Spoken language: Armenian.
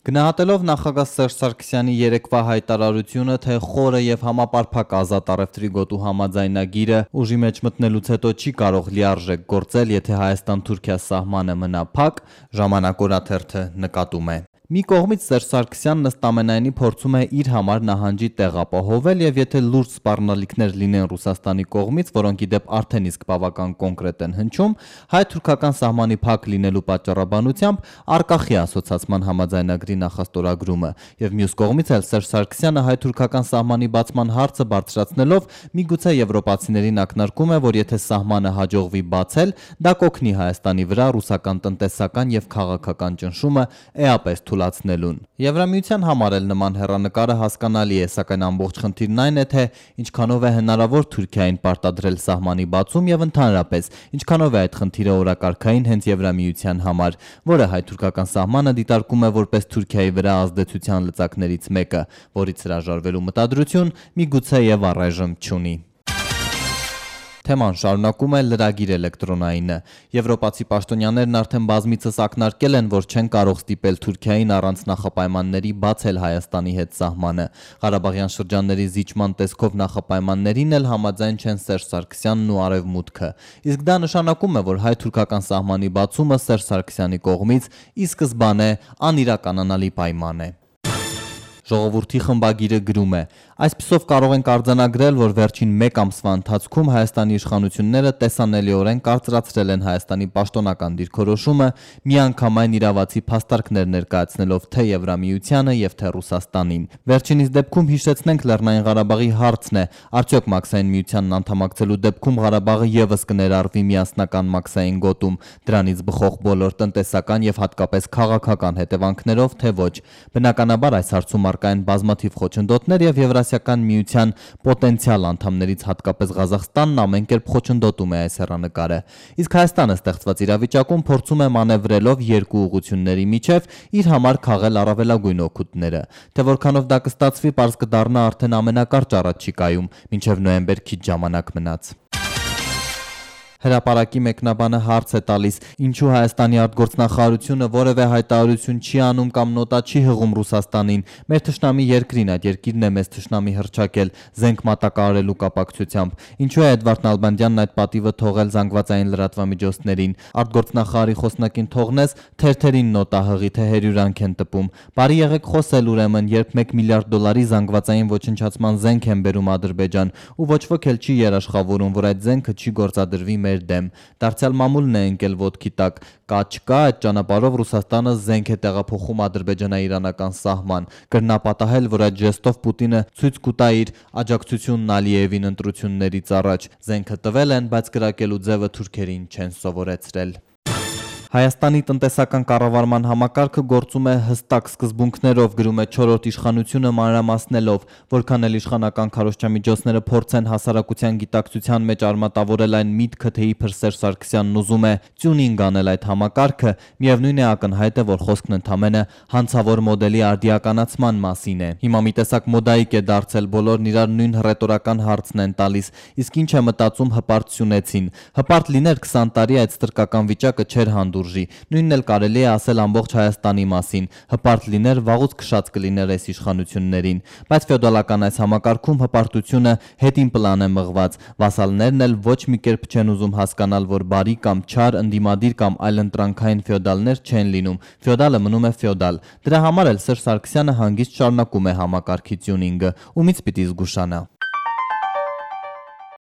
Գնահատելով նախագահ Սերժ Սարգսյանի երեկվա հայտարարությունը, թե խորը եւ համապարփակ ազատ առևտրի գոտու համաձայնագիրը ուժի մեջ մտնելուց հետո չի կարող լիարժեք գործել, եթե Հայաստան-Թուրքիա սահմանը մնա փակ, Ժամանակ օրաթերթը նկատում է. Մի կողմից Սերժ Սարգսյանն ըստ ամենայնի փորձում է իր համար նահանջի տեղ ապահովել եւ եթե լուրջ սպառնալիքներ լինեն Ռուսաստանի կողմից, որոնք ի դեպ արդեն իսկ բավական կոնկրետ են հնչում, հայ-թուրքական սահմանի փակ լինելու պատճառաբանությամբ արկախի ասոցացման համաձայնագրի նախաստորագրումը եւ մյուս կողմից էլ Սերժ Սարգսյանը հայ-թուրքական սահմանի բացման հարցը բարձրացնելով միգուցե եվրոպացիներին ակնարկում է, որ եթե սահմանը հաջողվի բացել, դա կօգնի Հայաստանի վրա ռուսական տնտեսական եւ քաղաքական ճնշումը էապես թույլատնելուն։ Եվրամիության համար էլ նման հեռանկարը հասկանալի է, սակայն ամբողջ խնդիրն այն է, թե ինչքանով է հնարավոր Թուրքիային պարտադրել սահմանի բացում եւ ընդհանրապես ինչքանով է այդ խնդիրը օրակարգային հենց Եվրամիության համար, որը հայ-թուրքական սահմանը դիտարկում է որպես Թուրքիայի վրա ազդեցության լծակներից մեկը, որից հրաժարվելու մտադրություն միգուցե եւ առայժմ չունի։ Թեման շարունակում է լրագիր էլեկտրոնայինը։ Եվրոպացի պաշտոնյաներն արդեն բազմիցս ակնարկել են, որ չեն կարող ստիպել Թուրքիային առանց նախապայմանների բացել Հայաստանի հետ սահմանը։ Ղարաբաղյան շրջանների զիջման տեսքով նախապայմաններին էլ համաձայն չեն Սերժ Սարգսյանն ու Արևմուտքը։ Իսկ դա նշանակում է, որ հայ-թուրքական սահմանի բացումը Սերժ Սարգսյանի կողմից ի սկզբանե անիրականանալի պայման է։ Ժողովրդի խմբագիրը գրում է. այսպիսով կարող ենք արձանագրել, որ վերջին մեկ ամսվա ընթացքում Հայաստանի իշխանությունները տեսանելիորեն կարծրացրել են Հայաստանի պաշտոնական դիրքորոշումը, միանգամայն իրավացի փաստարկներ ներկայացնելով թե Եվրամիությանը եւ թե Ռուսաստանին։ Վերջինիս դեպքում հիշեցնենք Լեռնային Ղարաբաղի հարցն է, արդյոք Մաքսային միությանն անդամակցելու դեպքում Ղարաբաղը եւս կներառվի միասնական Մաքսային գոտում, դրանից բխող բոլոր տնտեսական եւ հատկապես քաղաքական հետևանքներով, թե ոչ։ Բնականաբար այս հարցում կային բազմաթիվ խոչընդոտներ եւ Եվրասիական միության պոտենցիալ անդամներից հատկապես Ղազախստանն ամեն կերպ խոչընդոտում է այս հեռանկարը։ Իսկ Հայաստանը ստեղծված իրավիճակում փորձում է մանևրելով երկու ուղղությունների միջև իր համար քաղել առավելագույն օգուտները։ Թե որքանով դա կստացվի, պարզ կդառնա արդեն ամենակարճ առաջիկայում, մինչև նոյեմբեր քիչ ժամանակ մնաց։ Հրապարակի մեկնաբանը հարց է տալիս, ինչու Հայաստանի արտգործնախարարությունը որևէ հայտարարություն չի անում կամ նոտա չի հղում Ռուսաստանին, մեր թշնամի երկրին, այդ երկիրն է մեզ թշնամի հռչակել զենք մատակարարելու կապակցությամբ, ինչու է Էդվարդ Նալբանդյանն այդ պատիվը թողել զանգվածային լրատվամիջոցներին, արտգործնախարարի խոսնակին թողնես, թերթերին նոտա հղի, թե հերյուրանք են տպում, բարի եղեք խոսել ուրեմն, երբ 1 միլիարդ դոլարի զանգվածային ոչնչացման զենք են բերում Ադրբեջան, ու ոչ ոք էլ չի երաշխավորում, որ այդ զենքը չի գործադրվի դեմ։ Դարձյալ մամուլն է ընկել ոտքի տակ, կա չկա այդ ճանապարհով Ռուսաստանը զենք է տեղափոխում ադրբեջանա-իրանական սահման, կրնա պատահել, որ այդ ժեստով Պուտինը ցույց կտա իր աջակցությունն Ալիևին ընտրություններից առաջ, զենքը տվել են, բայց կրակելու ձևը թուրքերին չեն սովորեցրել։ Հայաստանի տնտեսական կառավարման համակարգը գործում է հստակ սկզբունքներով, գրում է չորրորդ իշխանությունը մանրամասնելով, որքան էլ իշխանական քարոզչամիջոցները փորձեն հասարակության գիտակցության մեջ արմատավորել այն միտքը, թե իբր Սերժ Սարգսյանն ուզում է տյունինգ անել այդ համակարգը, միևնույն է ակնհայտ է, որ խոսքն ընդամենը հանցավոր մոդելի արդիականացման մասին է։ Հիմա մի տեսակ մոդայիկ է դարձել, բոլորն իրար նույն ռետորական հարցն են տալիս, իսկ ինչ է մտածում հպարտ սյունեցին։ Հպարտ լիներ 20 տարի այդ ստրկական վիճակը չէր հանդուրժի, նույնն էլ կարելի է ասել ամբողջ Հայաստանի մասին, հպարտ լիներ վաղուց քշած կլիներ այս իշխանություններին, բայց ֆեոդալական այս համակարգում հպարտությունը հետին պլան է մղված, վասալներն էլ ոչ մի կերպ չեն ուզում հասկանալ, որ բարի կամ չար, ընդդիմադիր կամ այլընտրանքային ֆեոդալներ չեն լինում, ֆեոդալը մնում է ֆեոդալ, դրա համար էլ Սերժ Սարգսյանը հանգիստ շարունակում է համակարգի տյունինգը, ումից պիտի զգուշանա։